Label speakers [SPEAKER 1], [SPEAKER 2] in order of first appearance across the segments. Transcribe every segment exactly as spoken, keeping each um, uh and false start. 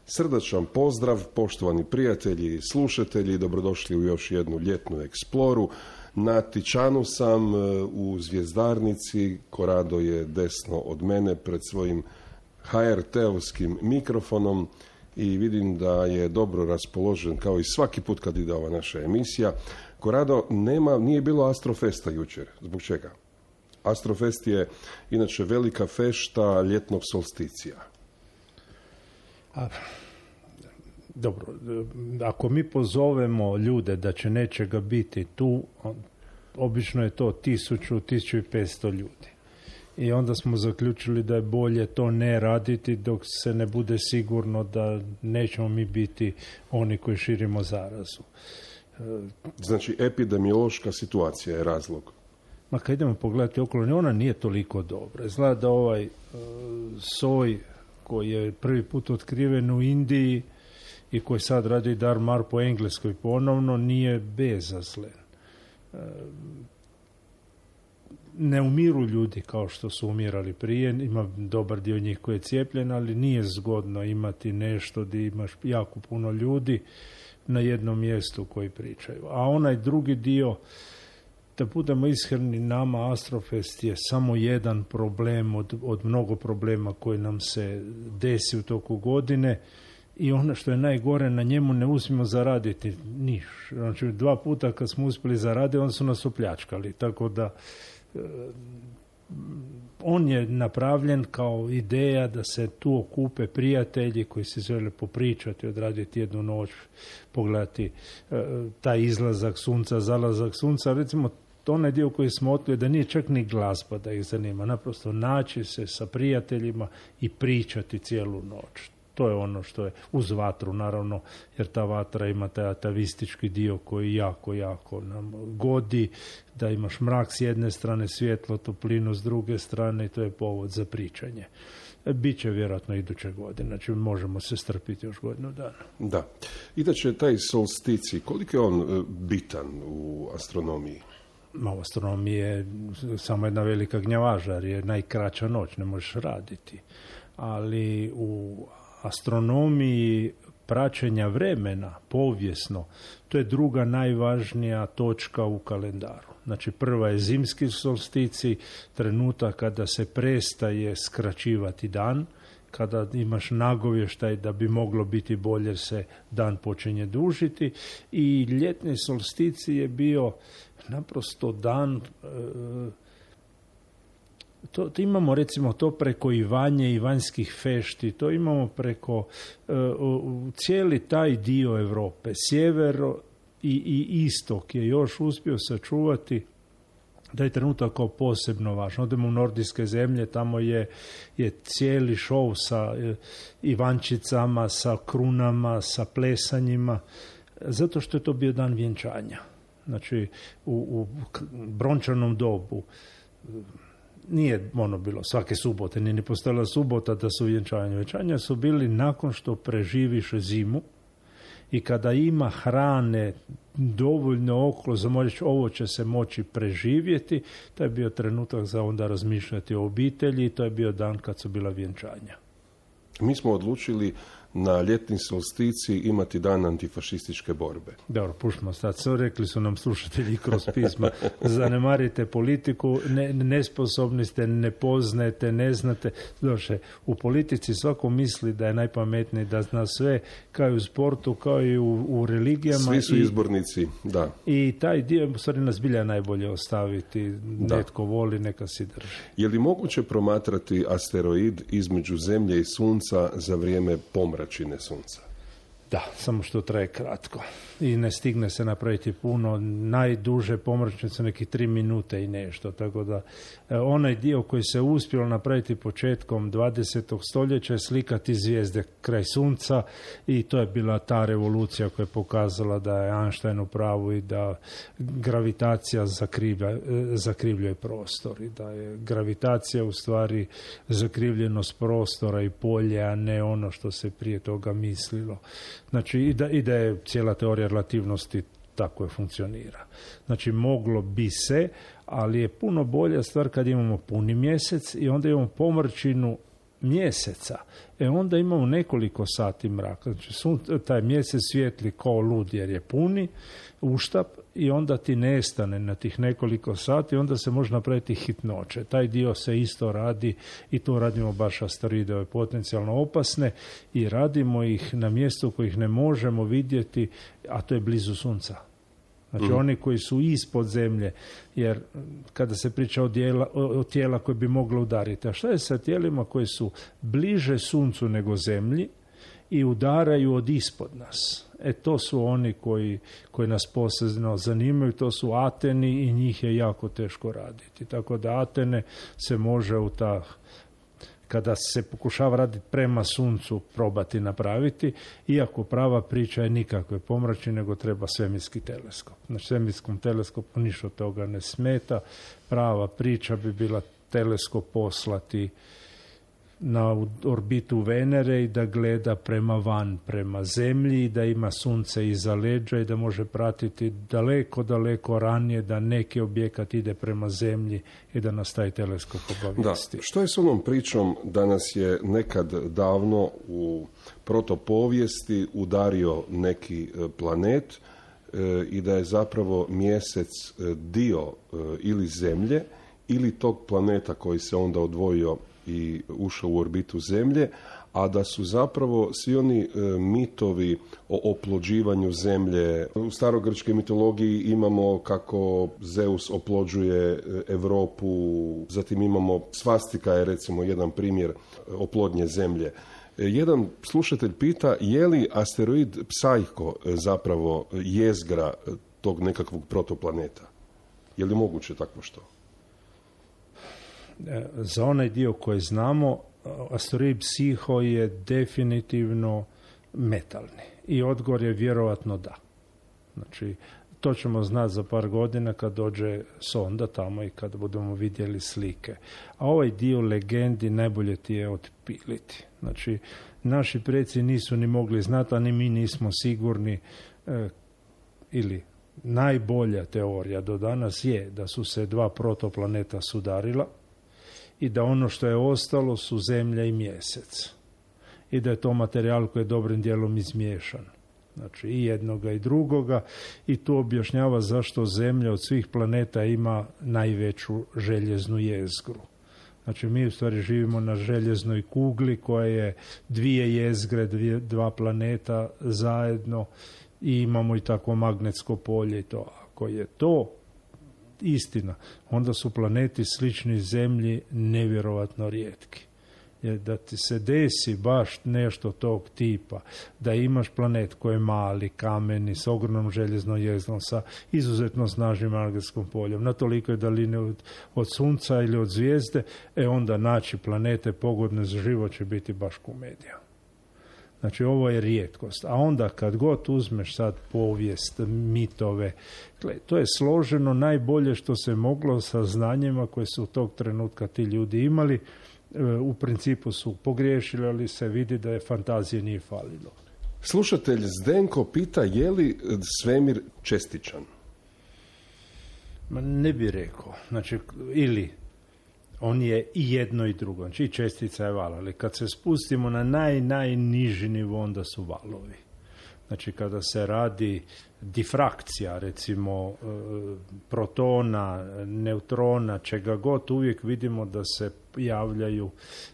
[SPEAKER 1] Srdačan pozdrav, poštovani prijatelji i slušatelji, dobrodošli u još jednu ljetnu eksploru. Na Tičanu sam u Zvjezdarnici, Korado je desno od mene pred svojim ha er te-ovskim mikrofonom i vidim da je dobro raspoložen kao i svaki put kad ide ova naša emisija. Korado, nema, nije bilo Astrofesta jučer. Zbog čega? Astrofest je inače velika fešta ljetnog solsticija.
[SPEAKER 2] A, dobro, ako mi pozovemo ljude da će nečega biti tu, obično je to tisuću, tisuću i petsto ljudi. I onda smo zaključili da je bolje to ne raditi dok se ne bude sigurno da nećemo mi biti oni koji širimo zarazu.
[SPEAKER 1] Znači, epidemiološka situacija je razlog.
[SPEAKER 2] Ma kad idemo pogledati okolo, ona nije toliko dobra. Izgleda da ovaj uh, soj koji je prvi put otkriven u Indiji i koji sad radi dar mar po Engleskoj ponovno, nije bezazlen. Uh, ne umiru ljudi kao što su umirali prije, ima dobar dio njih koji je cijepljen, ali nije zgodno imati nešto gdje imaš jako puno ljudi na jednom mjestu koji pričaju. A onaj drugi dio, da budemo iskreni, nama Astrofest je samo jedan problem od, od mnogo problema koji nam se desi u toku godine i ono što je najgore, na njemu ne uspijemo zaraditi niš. Znači, dva puta kad smo uspjeli zaraditi, onda su nas opljačkali. Tako da e, on je napravljen kao ideja da se tu okupe prijatelji koji se žele popričati, odraditi jednu noć, pogledati e, taj izlazak sunca, zalazak sunca. Recimo, onaj dio koji smo otkrili da nije čak ni glazba da ih zanima, naprosto naći se sa prijateljima i pričati cijelu noć. To je ono što je uz vatru, naravno, jer ta vatra ima taj atavistički dio koji jako, jako nam godi, da imaš mrak s jedne strane, svjetlo, toplinu s druge strane i to je povod za pričanje. Biće vjerojatno iduće godine, znači možemo se strpiti još godinu dana.
[SPEAKER 1] Da. Inače, taj solstici, koliko je on bitan u astronomiji?
[SPEAKER 2] Ma, u astronomiji je samo jedna velika gnjavaža, jer je najkraća noć, ne možeš raditi. Ali u astronomiji praćenja vremena, povijesno, to je druga najvažnija točka u kalendaru. Znači, prva je zimski solstici, trenutak kada se prestaje skraćivati dan, kada imaš nagovještaj da bi moglo biti bolje, se dan počinje dužiti, i ljetni solstici je bio naprosto dan, e, to, to imamo recimo to preko Ivanje i vanjskih fešti, to imamo preko e, u, cijeli taj dio Europe, sjevero i, i istok je još uspio sačuvati da je trenutak kao posebno važno. Odemo u nordijske zemlje, tamo je, je cijeli šov sa e, Ivančicama, sa krunama, sa plesanjima, zato što je to bio dan vjenčanja. Znači, u, u brončanom dobu nije ono bilo svake subote, nije ni postojala subota da su vjenčanja. Vjenčanja su bili nakon što preživiš zimu i kada ima hrane dovoljno okolo za moći, ovo će se moći preživjeti, to je bio trenutak za onda razmišljati o obitelji i to je bio dan kad su bila vjenčanja.
[SPEAKER 1] Mi smo odlučili na ljetni solstici imati dan antifašističke borbe.
[SPEAKER 2] Dobro, puštimo sad. Rekli su nam slušatelji kroz pisma, zanemarite politiku, ne, nesposobni ste, ne poznajete, ne znate. Doše, u politici svako misli da je najpametniji, da zna sve, kao i u sportu, kao i u, u religijama.
[SPEAKER 1] Svi su izbornici, da.
[SPEAKER 2] I taj dio, u stvari, nas bilja najbolje ostaviti. Da. Netko voli, neka si drži.
[SPEAKER 1] Je li moguće promatrati asteroid između Zemlje i Sunca za vrijeme pomračine Sunca?
[SPEAKER 2] Da, samo što traje kratko i ne stigne se napraviti puno. Najduže pomračnice nekih tri minute i nešto, tako da e, onaj dio koji se uspjelo napraviti početkom dvadesetog stoljeća je slikati zvijezde kraj Sunca i to je bila ta revolucija koja je pokazala da je Einstein u pravu i da gravitacija zakrivlja, zakrivljuje prostor i da je gravitacija u stvari zakrivljenost prostora i polje, a ne ono što se prije toga mislilo. Znači, i da, i da je cijela teorija relativnosti tako je funkcionira. Znači, moglo bi se, ali je puno bolja stvar kad imamo puni mjesec i onda imamo pomrčinu mjeseca, e onda imamo nekoliko sati mraka. Znači, sun, taj mjesec svijetli kao lud jer je puni uštap i onda ti nestane na tih nekoliko sati, onda se može napraviti hitnoće. Taj dio se isto radi i tu radimo baš asteroide potencijalno opasne i radimo ih na mjestu kojih ne možemo vidjeti, a to je blizu sunca. Znači mm. oni koji su ispod zemlje, jer kada se priča o, dijela, o, o tijela koje bi moglo udariti, a šta je sa tijelima koji su bliže suncu nego zemlji i udaraju od ispod nas? E to su oni koji, koji nas posebno zanimaju, to su Ateni i njih je jako teško raditi. Tako da Atene se može u ta, kada se pokušava raditi prema suncu, probati napraviti, iako prava priča je nikakve pomrači, nego treba svemirski teleskop. Na svemirskom teleskopu ništa toga ne smeta. Prava priča bi bila teleskop poslati na orbitu Venere i da gleda prema van, prema zemlji, i da ima sunce iza leđa i da može pratiti daleko, daleko ranije da neki objekat ide prema zemlji i da nas taj teleskop obavijesti.
[SPEAKER 1] Da, što je s onom pričom da nas je nekad davno u protopovijesti udario neki planet e, i da je zapravo mjesec dio e, ili zemlje ili tog planeta koji se onda odvojio i ušao u orbitu zemlje, a da su zapravo svi oni e, mitovi o oplođivanju zemlje. U starogrčkoj mitologiji imamo kako Zeus oplođuje Europu, zatim imamo svastika je recimo jedan primjer oplodnje zemlje. E, jedan slušatelj pita je li asteroid Psajko zapravo jezgra tog nekakvog protoplaneta? Je li moguće takvo što?
[SPEAKER 2] Za onaj dio koji znamo, asteroid Psiho je definitivno metalni i odgovor je vjerojatno da. Znači, to ćemo znati za par godina kad dođe sonda tamo i kad budemo vidjeli slike. A ovaj dio legendi najbolje ti je otpiliti. Znači, naši preci nisu ni mogli znati, a ni mi nismo sigurni eh, ili najbolja teorija do danas je da su se dva protoplaneta sudarila i da ono što je ostalo su zemlja i mjesec. I da je to materijal koji je dobrim dijelom izmiješan. Znači i jednoga i drugoga. I tu objašnjava zašto zemlja od svih planeta ima najveću željeznu jezgru. Znači mi u stvari živimo na željeznoj kugli koja je dvije jezgre, dvije, dva planeta zajedno i imamo i takvo magnetsko polje i to. Ako je to istina, onda su planeti slični zemlji nevjerovatno rijetki. Jer da ti se desi baš nešto tog tipa, da imaš planet koji je mali, kameni, s ogromnom željeznom jezgrom, sa izuzetno snažnim magnetskom poljem, na tolikoj daljini od, od sunca ili od zvijezde, e onda naći planete pogodne za život će biti baš komedija. Znači, ovo je rijetkost. A onda kad god uzmeš sad povijest, mitove, to je složeno najbolje što se moglo sa znanjima koje su tog trenutka ti ljudi imali. U principu su pogriješili, ali se vidi da je fantazije nije falilo.
[SPEAKER 1] Slušatelj Zdenko pita je li svemir čestičan?
[SPEAKER 2] Ma ne bi rekao. Znači, ili on je i jedno i drugo. Znači i čestica je val, ali kad se spustimo na naj, najniži nivo, onda su valovi. Znači kada se radi difrakcija, recimo protona, neutrona, čega god, uvijek vidimo da se javljaju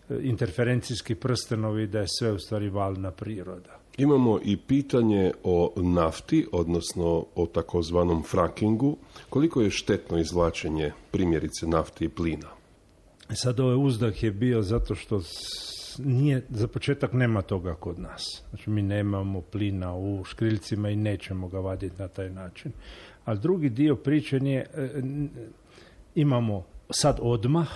[SPEAKER 2] interferencijski prstenovi, da je sve u stvari valna priroda.
[SPEAKER 1] Imamo i pitanje o nafti, odnosno o takozvanom frackingu. Koliko je štetno izvlačenje primjerice nafte i plina?
[SPEAKER 2] Sad ovaj uzdah je bio zato što nije, za početak nema toga kod nas. Znači mi nemamo plina u škriljcima i nećemo ga vaditi na taj način. Ali drugi dio priče je, imamo sad odmah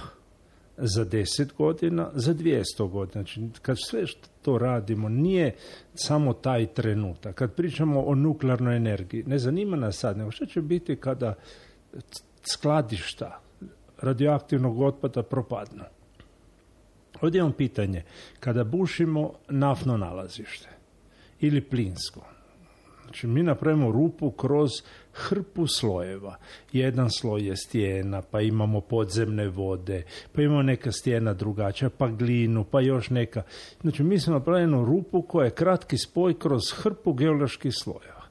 [SPEAKER 2] za deset godina, za dvjesto godina. Znači kad sve što to radimo nije samo taj trenutak. Kad pričamo o nuklearnoj energiji, ne zanima nas sad, nego što će biti kada skladišta radioaktivnog otpada propadnu. Ovdje imam pitanje. Kada bušimo naftno nalazište ili plinsko, Znači, mi napravimo rupu kroz hrpu slojeva. Jedan sloj je stijena, pa imamo podzemne vode, pa imamo neka stijena drugačija, pa glinu, pa još neka. Znači, mi smo napravili rupu koja je kratki spoj kroz hrpu geoloških slojeva.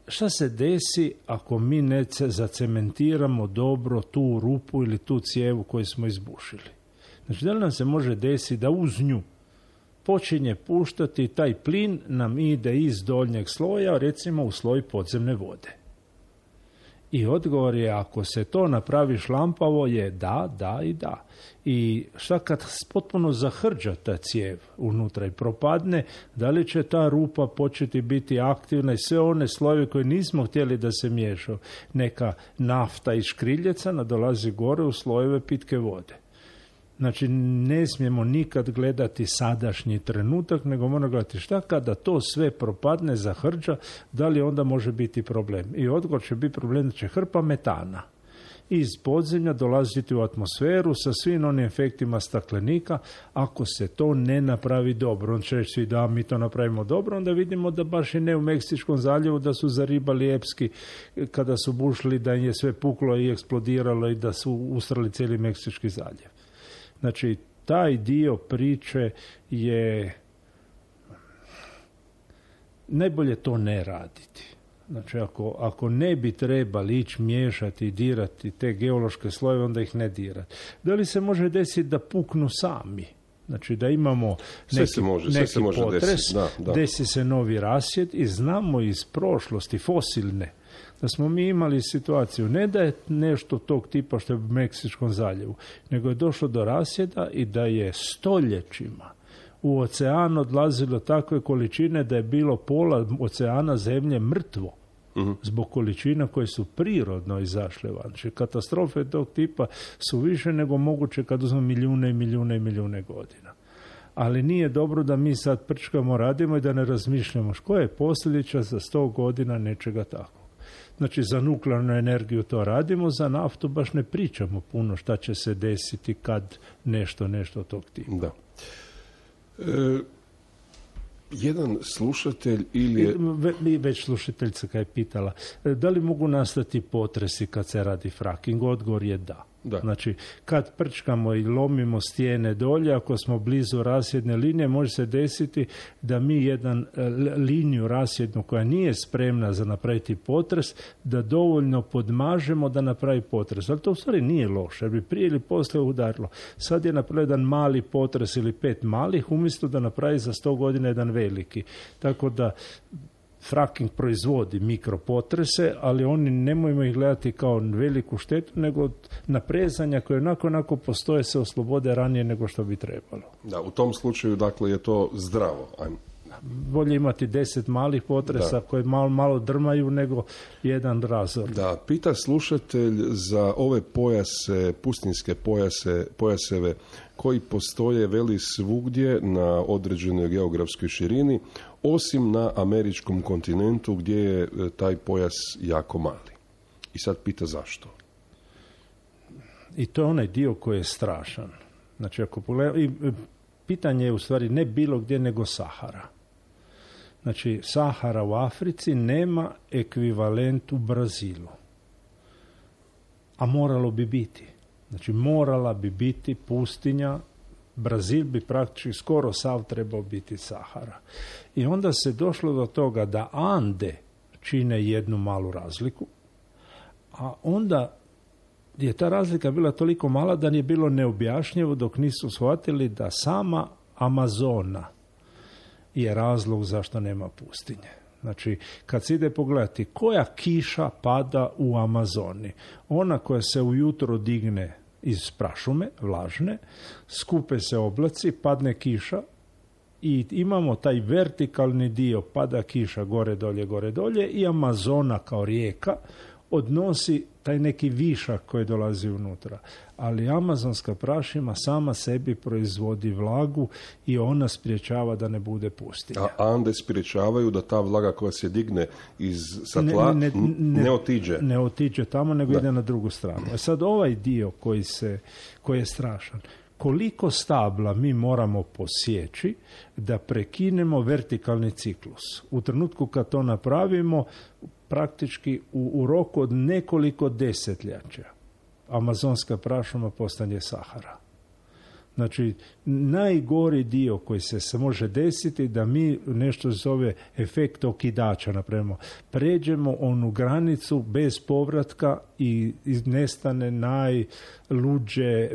[SPEAKER 2] Šta se desi ako mi ne zacementiramo dobro tu rupu ili tu cijevu koju smo izbušili? Znači, da li nam se može desiti da uz nju počinje puštati taj plin nam ide iz doljnjeg sloja, recimo u sloj podzemne vode? I odgovor je, ako se to napravi šlampavo, je da, da i da. I šta kad potpuno zahrđa ta cijev unutra i propadne, da li će ta rupa početi biti aktivna i sve one slojeve koje nismo htjeli da se miješaju? Neka nafta iz škriljeca nadolazi gore u slojeve pitke vode. Znači, ne smijemo nikad gledati sadašnji trenutak, nego moramo gledati šta kada to sve propadne, zahrđa, da li onda može biti problem. I odgovor će biti problem da će hrpa metana iz podzemlja dolaziti u atmosferu sa svim onim efektima staklenika. Ako se to ne napravi dobro, on će reći svi da mi to napravimo dobro, onda vidimo da baš i ne u Meksičkom zaljevu, da su zaribali epski kada su bušili, da im je sve puklo i eksplodiralo i da su usrali cijeli Meksički zaljev. Znači, taj dio priče je najbolje to ne raditi. Znači, ako, ako ne bi trebali ići miješati i dirati te geološke slojeve, onda ih ne dirati. Da li se može desiti da puknu sami? Znači, da imamo neki,
[SPEAKER 1] se može,
[SPEAKER 2] neki
[SPEAKER 1] se može
[SPEAKER 2] potres,
[SPEAKER 1] desiti. Da, da.
[SPEAKER 2] Desi se novi rasjed i znamo iz prošlosti, fosilne, da smo mi imali situaciju, ne da je nešto tog tipa što je u Meksičkom zaljevu, nego je došlo do rasjeda i da je stoljećima u ocean odlazilo takve količine da je bilo pola oceana zemlje mrtvo. Uh-huh. Zbog količina koje su prirodno izašle van. Znači, katastrofe tog tipa su više nego moguće kad uzmemo milijune i milijune i milijune godina. Ali nije dobro da mi sad prčkamo, radimo i da ne razmišljamo što je posljedica za sto godina nečega takvog. Znači, za nuklearnu energiju to radimo, za naftu baš ne pričamo puno šta će se desiti kad nešto, nešto tog tipa.
[SPEAKER 1] Da. E, jedan slušatelj ili je...
[SPEAKER 2] Ve, već slušateljica kad je pitala, da li mogu nastati potresi kad se radi fracking? Odgovor je da. Da. Znači, kad prčkamo i lomimo stijene dolje, ako smo blizu rasjedne linije, može se desiti da mi jedan liniju rasjednu koja nije spremna za napraviti potres, da dovoljno podmažemo da napravi potres. Ali to u stvari nije loše, jer bi prije ili poslije udarilo. Sad je napravio jedan mali potres ili pet malih, umjesto da napravi za sto godina jedan veliki. Tako da fracking proizvodi mikropotrese, ali oni nemojmo ih gledati kao veliku štetu, nego naprezanja koje onako onako postoje se oslobode ranije nego što bi trebalo.
[SPEAKER 1] Da, u tom slučaju, dakle, je to zdravo. Ajmo.
[SPEAKER 2] Bolje imati deset malih potresa da. koje malo, malo drmaju nego jedan razor.
[SPEAKER 1] Da, pita slušatelj za ove pojase, pustinske pojase, pojaseve koji postoje veli svugdje na određenoj geografskoj širini, osim na američkom kontinentu gdje je taj pojas jako mali. I sad pita zašto.
[SPEAKER 2] I to je onaj dio koji je strašan. Znači, ako pogleda, i pitanje je u stvari ne bilo gdje nego Sahara. Znači, Sahara u Africi nema ekvivalent u Brazilu. A moralo bi biti. Znači, morala bi biti pustinja. Brazil bi praktički skoro sav trebao biti Sahara. I onda se došlo do toga da Ande čine jednu malu razliku, a onda je ta razlika bila toliko mala da nije bilo neobjašnjivo dok nisu shvatili da sama Amazona je razlog zašto nema pustinje. Znači, kad se ide pogledati koja kiša pada u Amazoni, ona koja se ujutro digne iz prašume, vlažne, skupe se oblaci, padne kiša i imamo taj vertikalni dio, pada kiša gore, dolje, gore, dolje i Amazona kao rijeka odnosi taj neki višak koji dolazi unutra. Ali amazonska prašuma sama sebi proizvodi vlagu i ona spriječava da ne bude pustinja.
[SPEAKER 1] A Ande spriječavaju da ta vlaga koja se digne iz satla ne, ne, ne, ne otiđe.
[SPEAKER 2] Ne otiđe tamo, nego da. Ide na drugu stranu. A sad ovaj dio koji, se, koji je strašan, koliko stabla mi moramo posjeći da prekinemo vertikalni ciklus. U trenutku kad to napravimo, praktički u, u roku od nekoliko desetljeća amazonska prašuma postane Sahara. Znači, najgori dio koji se, se može desiti da mi nešto zove efekt okidača, napravimo. Pređemo onu granicu bez povratka i nestane najluđe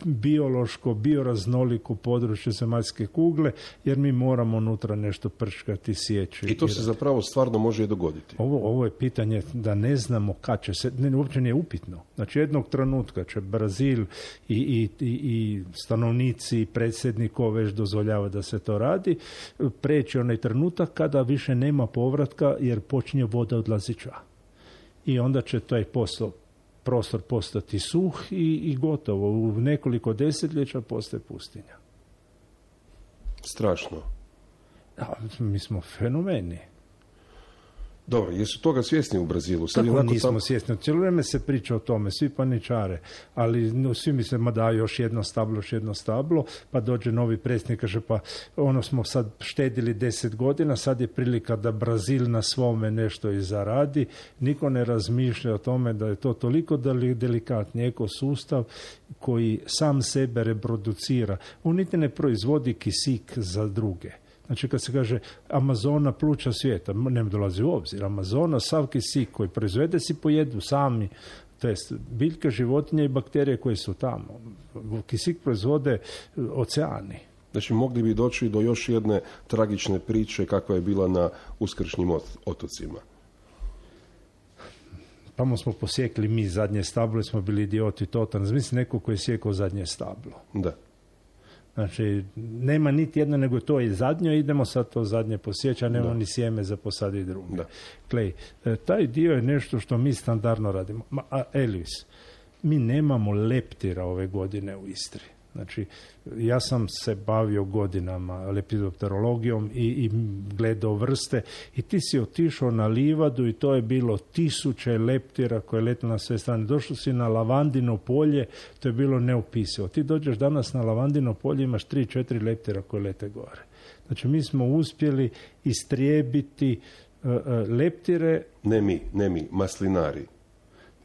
[SPEAKER 2] biološko, bioraznoliko područje zemaljske kugle, jer mi moramo unutra nešto prčkati, sjeći.
[SPEAKER 1] I to se zapravo stvarno može i dogoditi.
[SPEAKER 2] Ovo, ovo je pitanje da ne znamo kad će se, ne, uopće nije upitno. Znači, jednog trenutka će Brazil i, i, i, i stanovnici, predsjednikov već dozvoljava da se to radi, preći onaj trenutak kada više nema povratka jer počinje voda odlaziti ča. I onda će taj posao, prostor postati suh i, i gotovo. U nekoliko desetljeća postaje pustinja.
[SPEAKER 1] Strašno.
[SPEAKER 2] A, mi smo fenomeni.
[SPEAKER 1] Dobro, jesu toga svjesni u Brazilu? Sad
[SPEAKER 2] Kako nismo
[SPEAKER 1] tam...
[SPEAKER 2] svjesni? Cijelo vrijeme se priča o tome, svi paničare, ali no, svi misle, ma da, još jedno stablo, još jedno stablo, pa dođe novi predsjednik, kaže, pa ono smo sad štedili deset godina, sad je prilika da Brazil na svome nešto i zaradi. Niko ne razmišlja o tome da je to toliko delikatni ekosustav koji sam sebe reproducira. On niti ne proizvodi kisik za druge. Znači, kad se kaže Amazona pluća svijeta, ne dolazi u obzir. Amazona, sav kisik koji proizvede si pojedu sami, to jest biljke, životinje i bakterije koje su tamo. Kisik proizvode oceani.
[SPEAKER 1] Znači, mogli bi doći do još jedne tragične priče kakva je bila na Uskršnjim otocima.
[SPEAKER 2] Tamo smo posjekli mi zadnje stablo i smo bili idioti totalni. Mislim, neko koji je sjekao zadnje stablo.
[SPEAKER 1] Da.
[SPEAKER 2] Znači, nema niti jedno, nego to je zadnje, idemo sad to zadnje posjeći, a nema da. Ni sjeme za posaditi druge. Da. Klej, taj dio je nešto što mi standardno radimo. Ma, a Elvis, mi nemamo leptira ove godine u Istri. Znači, ja sam se bavio godinama lepidopterologijom i, i gledao vrste i ti si otišao na livadu i to je bilo tisuće leptira koje lete na sve strane. Došao si na lavandino polje, to je bilo neopisivo. Ti dođeš danas na lavandino polje, imaš tri, četiri leptira koje lete gore. Znači, mi smo uspjeli istrijebiti uh, uh, leptire.
[SPEAKER 1] Ne mi, ne mi, maslinari.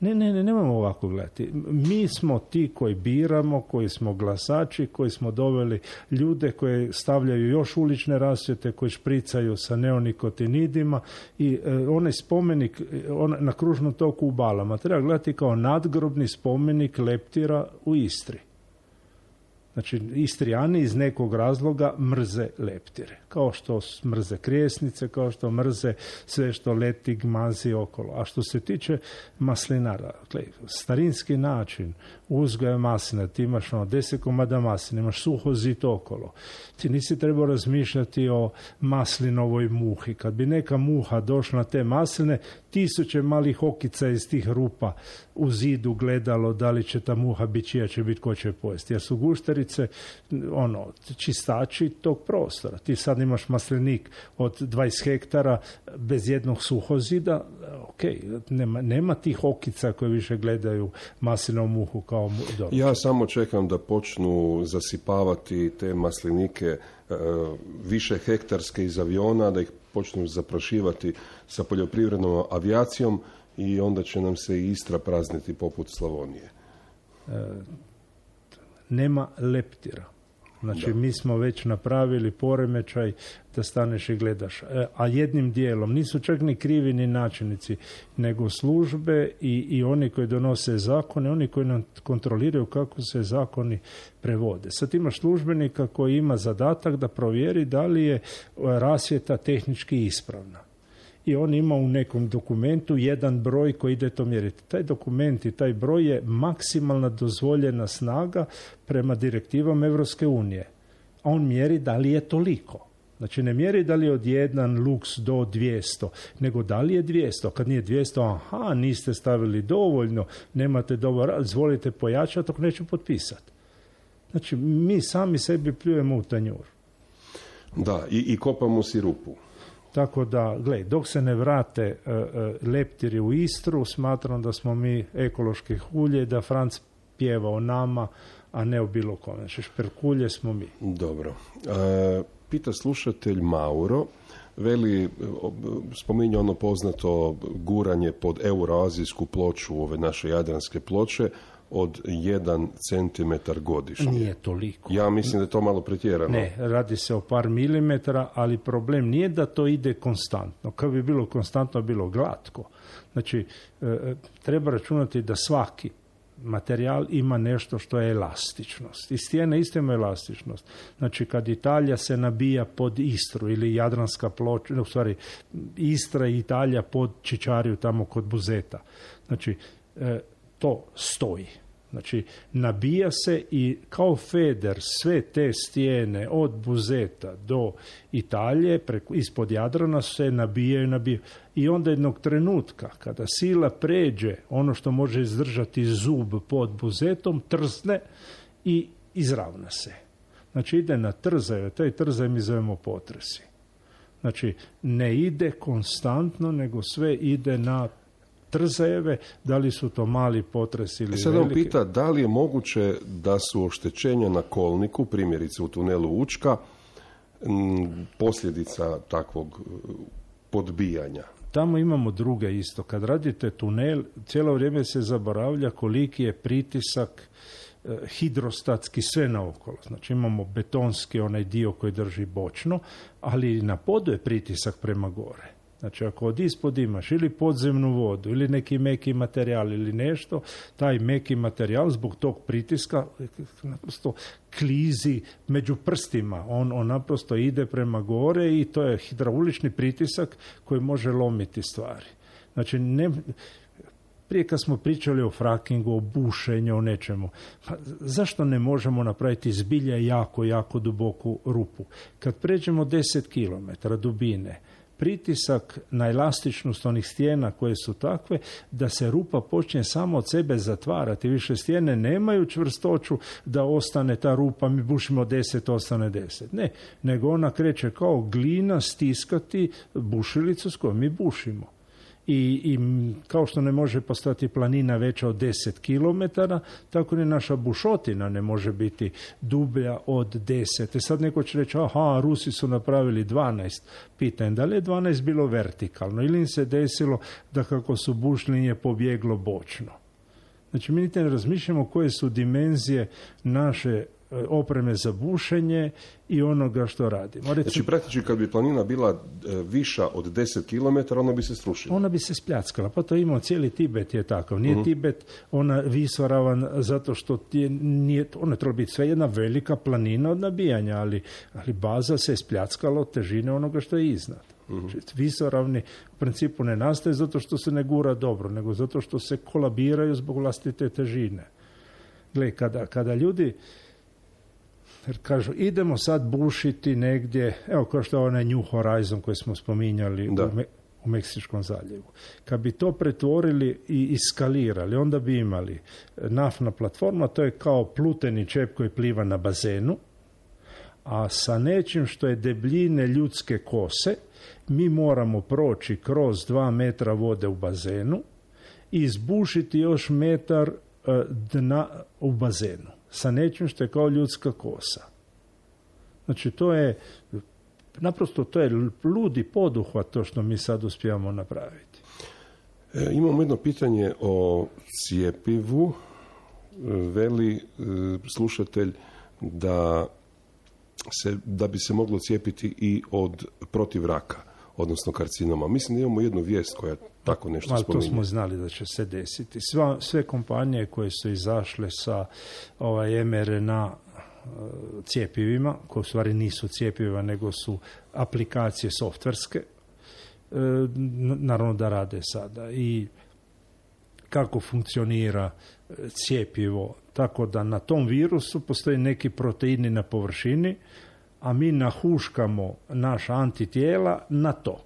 [SPEAKER 2] Ne, ne, ne, nemamo ovako gledati. Mi smo ti koji biramo, koji smo glasači, koji smo doveli ljude koji stavljaju još ulične rasvjete, koji špricaju sa neonikotinidima i e, onaj spomenik on, na kružnom toku u Balama treba gledati kao nadgrobni spomenik leptira u Istri. Znači, Istrijani iz nekog razloga mrze leptire. Kao što mrze krijesnice, kao što mrze sve što leti, gmazi okolo. A što se tiče maslinara, starinski način uzgoja maslina, ti imaš ono deset komada maslina, imaš suho zito okolo. Ti nisi trebao razmišljati o maslinovoj muhi. Kad bi neka muha došla na te masline, tisuće malih okica iz tih rupa u zidu gledalo da li će ta muha biti čija će biti ko će pojesti. Jer su gušterice ono, čistači tog prostora. Ti sad imaš maslinik od dvadeset hektara bez jednog suhozida, ok, nema, nema tih okica koje više gledaju maslinovu muhu kao dobro.
[SPEAKER 1] Ja samo čekam da počnu zasipavati te maslinike e, više hektarske iz aviona, da ih počnu zaprašivati sa poljoprivrednom avijacijom i onda će nam se i Istra prazniti poput Slavonije.
[SPEAKER 2] E, nema leptira. Znači, da. Mi smo već napravili poremećaj da staneš i gledaš. E, a jednim dijelom nisu čak ni krivi ni načelnici, nego službe i, i oni koji donose zakone, oni koji nam kontroliraju kako se zakoni prevode. Sad imaš službenika koji ima zadatak da provjeri da li je rasvjeta tehnički ispravna. I on ima u nekom dokumentu jedan broj koji ide to mjeriti. Taj dokument i taj broj je maksimalna dozvoljena snaga prema direktivama Evropske unije. A on mjeri da li je toliko. Znači, ne mjeri da li je od jedan luks do dvjesto, nego da li je dvjesto. Kad nije dvjesto, aha, niste stavili dovoljno, nemate dovoljno, izvolite pojačati, ako neću potpisati. Znači, mi sami sebi pljujemo u tanjur.
[SPEAKER 1] Da, i, i kopamo si rupu.
[SPEAKER 2] Tako da, gledaj, dok se ne vrate uh, uh, leptiri u Istru, smatram da smo mi ekološki hulje, da Franc pjeva o nama, a ne o bilo kome. Znači, šperkulje smo mi.
[SPEAKER 1] Dobro. E, pita slušatelj Mauro, veli, spominje ono poznato guranje pod euroazijsku ploču, ove naše jadranske ploče, od jedan centimetar godišnje.
[SPEAKER 2] Nije toliko.
[SPEAKER 1] Ja mislim da je to malo pretjerano.
[SPEAKER 2] Ne, radi se o par milimetara, ali problem nije da to ide konstantno. Kad bi bilo konstantno, bilo glatko. Znači, e, treba računati da svaki materijal ima nešto što je elastičnost. I stijene isto ima elastičnost. Znači, kad Italija se nabija pod Istru ili Jadranska ploča, u stvari Istra i Italija pod Čičariju tamo kod Buzeta. Znači, e, to stoji. Znači, nabija se i kao feder sve te stijene od Buzeta do Italije, preko, ispod Jadrana se nabijaju i nabijaju. I onda jednog trenutka, kada sila pređe ono što može izdržati zub pod Buzetom, trzne i izravna se. Znači, ide na trzaju, taj trzaj mi zovemo potresi. Znači, ne ide konstantno, nego sve ide na trzajeve, da li su to mali potresi ili
[SPEAKER 1] Sada
[SPEAKER 2] veliki.
[SPEAKER 1] on pita da li je moguće da su oštećenja na kolniku, primjerice u tunelu Učka, m, posljedica takvog podbijanja.
[SPEAKER 2] Tamo imamo druge isto. Kad radite tunel, cijelo vrijeme se zaboravlja koliki je pritisak eh, hidrostatski sve naokolo. Znači imamo betonski onaj dio koji drži bočno, ali na podu je pritisak prema gore. Znači, ako od ispod imaš ili podzemnu vodu, ili neki meki materijal ili nešto, taj meki materijal zbog tog pritiska naprosto klizi među prstima. On, on naprosto ide prema gore i to je hidraulični pritisak koji može lomiti stvari. Znači, ne... Prije kad smo pričali o frakingu, o bušenju, o nečemu, pa zašto ne možemo napraviti zbilja jako, jako duboku rupu? Kad pređemo deset kilometara dubine, pritisak na elastičnost onih stijena koje su takve da se rupa počne samo od sebe zatvarati. Više stijene nemaju čvrstoću da ostane ta rupa, mi bušimo deset, ostane deset. Ne, nego ona kreće kao glina stiskati bušilicu s kojom mi bušimo. I, i kao što ne može postati planina veća od deset kilometara, tako ni naša bušotina ne može biti dublja od deset. I sad neko će reći, aha, Rusi su napravili dvanaest. Pitam, da li je dvanaest bilo vertikalno ili im se desilo da kako su bušili je pobjeglo bočno. Znači, mi niti ne razmišljamo koje su dimenzije naše opreme za bušenje i onoga što radimo. Recimo,
[SPEAKER 1] znači, praktički kad bi planina bila viša od deset kilometara, ona bi se srušila.
[SPEAKER 2] Ona bi se spljackala. Pa to imamo, cijeli Tibet je takav. Nije uh-huh. Tibet ona visoravan zato što je, nije, ona treba biti sve jedna velika planina od nabijanja, ali, ali baza se spljackala od težine onoga što je iznad. Uh-huh. Znači, visoravni u principu ne nastaje zato što se ne gura dobro, nego zato što se kolabiraju zbog vlastite težine. Gle, kada, kada ljudi jer kažu, idemo sad bušiti negdje, evo kao što je onaj New Horizon koji smo spominjali u, Me, u Meksičkom zaljevu. Kad bi to pretvorili i iskalirali, onda bi imali naftna platforma, to je kao pluteni čep koji pliva na bazenu, a sa nečim što je debljine ljudske kose, mi moramo proći kroz dva metra vode u bazenu i izbušiti još metar uh, dna u bazenu. Sa nečim što je kao ljudska kosa. Znači, to je, naprosto to je ludi poduhvat to što mi sad uspijamo napraviti.
[SPEAKER 1] E, imamo jedno pitanje o cijepivu. Veli e, slušatelj da, se, da bi se moglo cijepiti i od protiv raka, odnosno karcinoma. Mislim da imamo jednu vijest koja tako nešto
[SPEAKER 2] ali
[SPEAKER 1] spominje.
[SPEAKER 2] To smo znali da će se desiti. Sva, sve kompanije koje su izašle sa ovaj, em er en a cjepivima, koje u stvari nisu cjepiva, nego su aplikacije softverske, naravno da rade sada. I kako funkcionira cjepivo? Tako da na tom virusu postoji neki proteini na površini, a mi nahuškamo naša antitijela na to.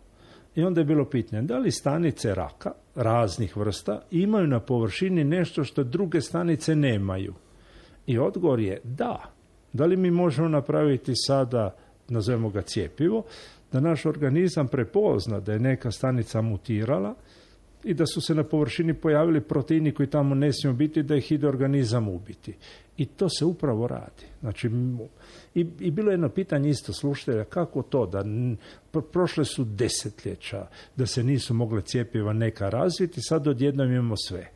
[SPEAKER 2] I onda je bilo pitanje, da li stanice raka raznih vrsta imaju na površini nešto što druge stanice nemaju? I odgovor je da. Da li mi možemo napraviti sada, nazovemo ga cjepivo, da naš organizam prepozna da je neka stanica mutirala i da su se na površini pojavili proteini koji tamo ne smiju biti, da ih ide organizam ubiti. I to se upravo radi. Znači, i, i bilo je jedno pitanje isto slušatelja, kako to da prošle su desetljeća, da se nisu mogle cjepiva neka razviti, sad odjednom imamo sve.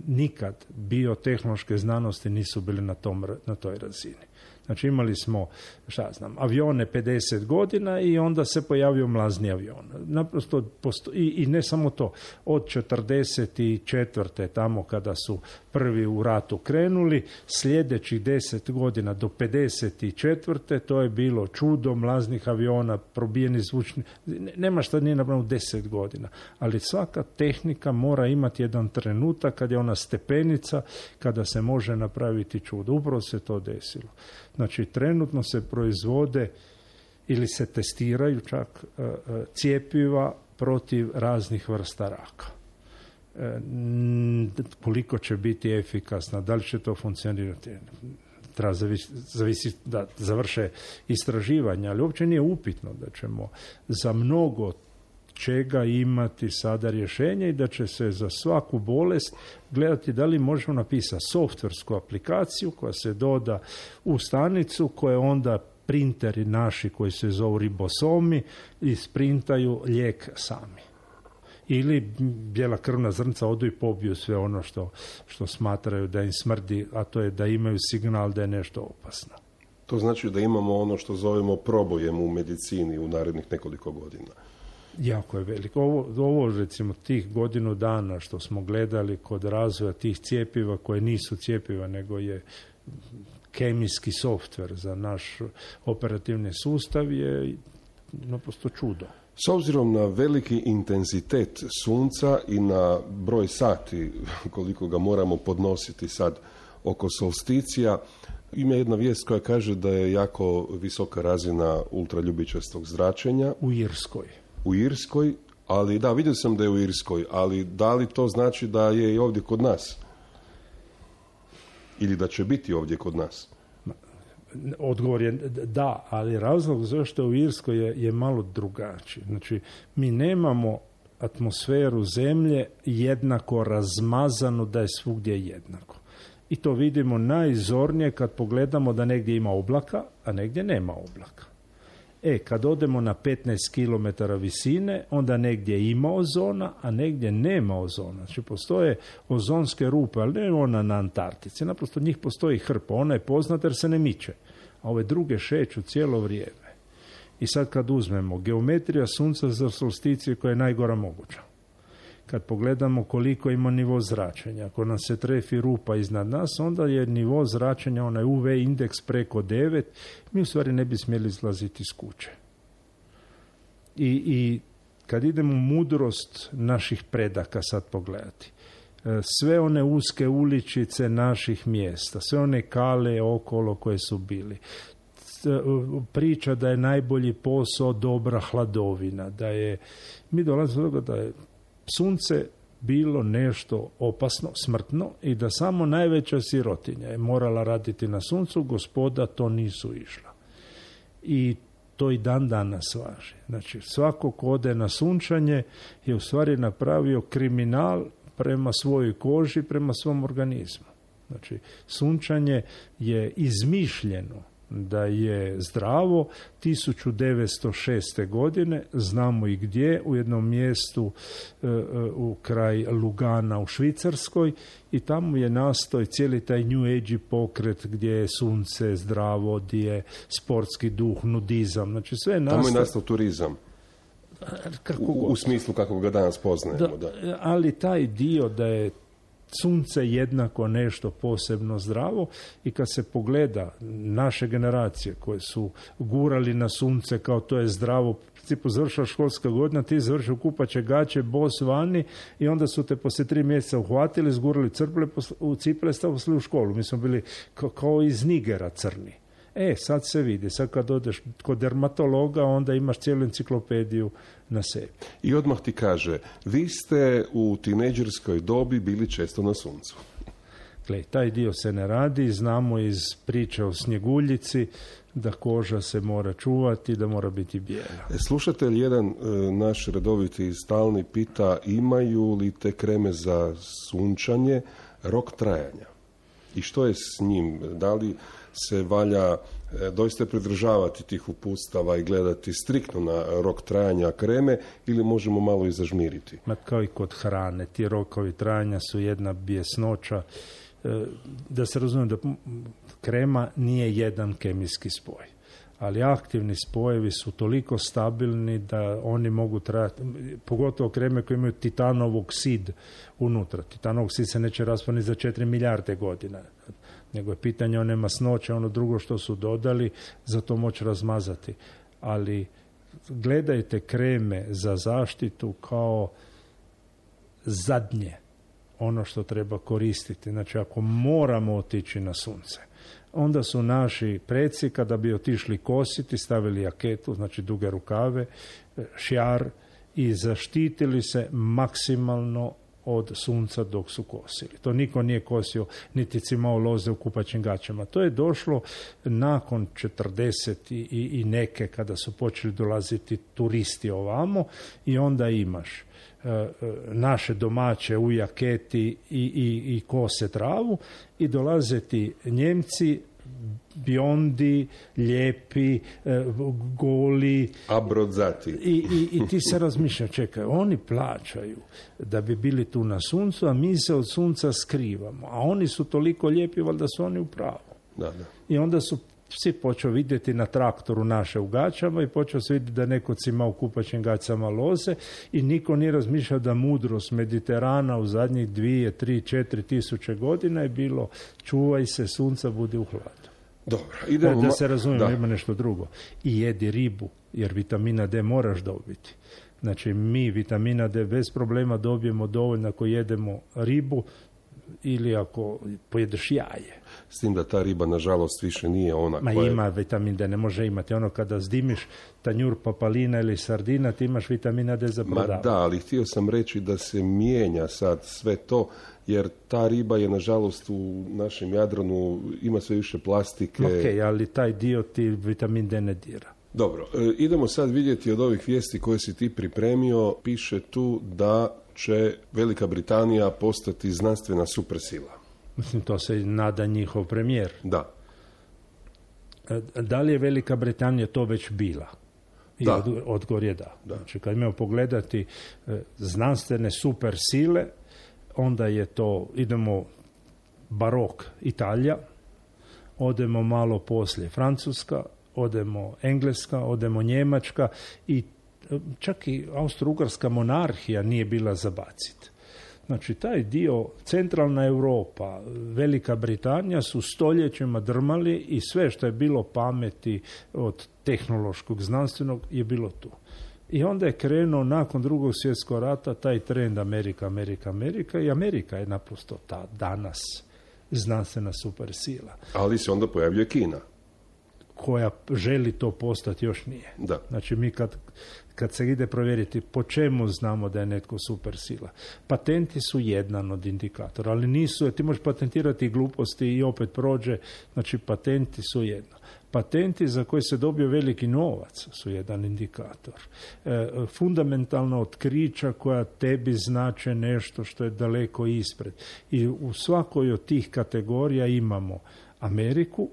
[SPEAKER 2] Nikad biotehnološke znanosti nisu bili na, tom, na toj razini. Znači imali smo, šta znam, avione pedeset godina i onda se pojavio mlazni avion. Naprosto posto- i, i ne samo to, od četrdeset četvrte tamo kada su prvi u ratu krenuli, sljedećih deset godina do pedeset četvrte to je bilo čudo mlaznih aviona, probijeni zvučni, nema šta nije napravljeno deset godina, ali svaka tehnika mora imati jedan trenutak kad je ona stepenica, kada se može napraviti čudo. Upravo se to desilo. Znači, trenutno se proizvode ili se testiraju čak uh, uh, cjepiva protiv raznih vrsta raka. E, koliko će biti efikasna, da li će to funkcionirati, treba zavisi, zavisi da završe istraživanja, ali uopće nije upitno da ćemo za mnogo čega imati sada rješenje i da će se za svaku bolest gledati da li možemo napisati softversku aplikaciju koja se doda u stanicu, koje onda printeri naši koji se zovu ribosomi isprintaju lijek sami. Ili bijela krvna zrnca odu i pobiju sve ono što, što smatraju da im smrdi, a to je da imaju signal da je nešto opasno.
[SPEAKER 1] To znači da imamo ono što zovemo probojem u medicini u narednih nekoliko godina.
[SPEAKER 2] Jako je veliko. Ovo, ovo recimo tih godinu dana što smo gledali kod razvoja tih cjepiva koje nisu cjepiva nego je kemijski softver za naš operativni sustav je naprosto čudo.
[SPEAKER 1] S obzirom na veliki intenzitet sunca i na broj sati koliko ga moramo podnositi sad oko solsticija, ima jedna vijest koja kaže da je jako visoka razina ultraljubičastog zračenja.
[SPEAKER 2] U Irskoj.
[SPEAKER 1] U Irskoj, ali da, vidio sam da je u Irskoj, ali da li to znači da je i ovdje kod nas? Ili da će biti ovdje kod nas?
[SPEAKER 2] Odgovor je da, ali razlog zašto u Irskoj je, je malo drugačiji. Znači, mi nemamo atmosferu zemlje jednako razmazanu da je svugdje jednako. I to vidimo najzornije kad pogledamo da negdje ima oblaka, a negdje nema oblaka. E, kad odemo na petnaest kilometara visine, onda negdje ima ozona, a negdje nema ozona. Znači, postoje ozonske rupe, ali ne ona na Antarktici. Naprosto njih postoji hrpa. Ona je poznata jer se ne miče. A ove druge šeću cijelo vrijeme. I sad kad uzmemo geometrija sunca za solsticije koja je najgora moguća. Kad pogledamo koliko ima nivo zračenja, ako nam se trefi rupa iznad nas, onda je nivo zračenja, onaj U V indeks preko devet, mi u stvari ne bi smjeli izlaziti iz kuće. I, i kad idemo mudrost naših predaka sad pogledati, sve one uske uličice naših mjesta, sve one kale okolo koje su bili, priča da je najbolji posao dobra hladovina, da je, mi dolazimo do toga da je sunce bilo nešto opasno, smrtno i da samo najveća sirotinja je morala raditi na suncu, gospoda to nisu išla. I to i dan danas važi. Znači, svako ko ode na sunčanje je u stvari napravio kriminal prema svojoj koži, prema svom organizmu. Znači, sunčanje je izmišljeno da je zdravo tisuću devetsto šeste. godine, znamo i gdje, u jednom mjestu e, u kraj Lugana u Švicarskoj i tamo je nastao cijeli taj New Age pokret gdje je sunce zdravo, gdje je sportski duh, nudizam, znači sve je nastao.
[SPEAKER 1] Tamo je nastao turizam. U, u smislu kako ga danas poznajemo. Da,
[SPEAKER 2] da. Ali taj dio da je sunce jednako nešto posebno zdravo i kad se pogleda naše generacije koje su gurali na sunce kao to je zdravo, u principu završila školska godina, ti završio kupaće gaće, bos vani i onda su te poslije tri mjeseca uhvatili, zgurali crple u cipele, stavili u školu. Mi smo bili kao, kao iz Nigera crni. E, sad se vidi, sad kad odeš kod dermatologa, onda imaš cijelu enciklopediju na sebi.
[SPEAKER 1] I odmah ti kaže, vi ste u tinejdžerskoj dobi bili često na suncu.
[SPEAKER 2] klej. Taj dio se ne radi, znamo iz priče o Snjeguljici da koža se mora čuvati, da mora biti bijela.
[SPEAKER 1] Slušatelj jedan, e, naš redoviti i stalni, pita imaju li te kreme za sunčanje rok trajanja? I što je s njim? Da li se valja e, doista pridržavati tih uputstava i gledati striktno na rok trajanja kreme ili možemo malo i zažmiriti?
[SPEAKER 2] Ma kao i kod hrane, ti rokovi trajanja su jedna bjesnoća. E, da se razumije da krema nije jedan kemijski spoj, ali aktivni spojevi su toliko stabilni da oni mogu trajati, pogotovo kreme koje imaju titanov oksid unutra. Titanov oksid se neće raspani za četiri milijarde godina, nego je pitanje one masnoće, ono drugo što su dodali, za to moći razmazati. Ali gledajte kreme za zaštitu kao zadnje, ono što treba koristiti. Znači, ako moramo otići na sunce, onda su naši preci, kada bi otišli kositi, stavili jaketu, znači duge rukave, šjar, i zaštitili se maksimalno od sunca dok su kosili. To niko nije kosio, niti cimao loze u kupaćim gaćama. To je došlo nakon četrdeset i, i neke, kada su počeli dolaziti turisti ovamo, i onda imaš naše domaće u jaketi i, i, i kose travu, i dolaze ti Njemci biondi, lijepi, goli,
[SPEAKER 1] abrodzati.
[SPEAKER 2] I, i, i ti se razmišlja, čekaj, oni plaćaju da bi bili tu na suncu, a mi se od sunca skrivamo, a oni su toliko lijepi, valjda su oni u pravu.
[SPEAKER 1] Da, da.
[SPEAKER 2] I onda su svi počeo vidjeti na traktoru naše u gaćama i počeo se vidjeti da neko cima u kupaćim gaćama loze, i niko nije razmišljao da mudrost Mediterana u zadnjih dvije, tri, četiri tisuće godina je bilo čuvaj se sunca, budi u hladu.
[SPEAKER 1] Dobro, idemo.
[SPEAKER 2] Da se razumijemo, ima nešto drugo. I jedi ribu, jer vitamina D moraš dobiti. Znači, mi vitamina D bez problema dobijemo dovoljno ako jedemo ribu ili ako pojedeš jaje.
[SPEAKER 1] S tim da ta riba, nažalost, više nije ona
[SPEAKER 2] Ma
[SPEAKER 1] koja...
[SPEAKER 2] ima vitamin D, ne može imati. Ono kada zdimiš tanjur papalina ili sardina, ti imaš vitamina D za prodavanje.
[SPEAKER 1] Ma da, ali htio sam reći da se mijenja sad sve to, jer ta riba je, nažalost, u našem Jadranu ima sve više plastike.
[SPEAKER 2] Ok, ali taj dio ti vitamin D ne dira.
[SPEAKER 1] Dobro, e, idemo sad vidjeti od ovih vijesti koje si ti pripremio. Piše tu da će Velika Britanija postati znanstvena supersila.
[SPEAKER 2] Mislim, to se nada njihov premijer.
[SPEAKER 1] Da.
[SPEAKER 2] Da li je Velika Britanija to već bila? I
[SPEAKER 1] Da.
[SPEAKER 2] od, odgovor je da.
[SPEAKER 1] Da.
[SPEAKER 2] Znači, kad imamo pogledati e, znanstvene super sile, onda je to, idemo barok Italija, odemo malo poslije Francuska, odemo Engleska, odemo Njemačka, i čak i Austro-Ugarska monarhija nije bila za bacit. Znači, taj dio, centralna Europa, Velika Britanija su stoljećima drmali, i sve što je bilo pameti od tehnološkog, znanstvenog je bilo tu. I onda je krenuo nakon drugog svjetskog rata taj trend Amerika, Amerika, Amerika, i Amerika je naprosto ta danas znanstvena supersila.
[SPEAKER 1] Ali se onda pojavljuje Kina.
[SPEAKER 2] Koja želi to postati, još nije.
[SPEAKER 1] Da.
[SPEAKER 2] Znači, mi kad, kad se ide provjeriti po čemu znamo da je netko supersila. Patenti su jedan od indikatora, ali nisu, ti možeš patentirati gluposti i opet prođe, znači patenti su jedno. Patenti za koje se dobio veliki novac su jedan indikator. E, fundamentalna otkrića koja tebi znače nešto što je daleko ispred. I u svakoj od tih kategorija imamo Ameriku,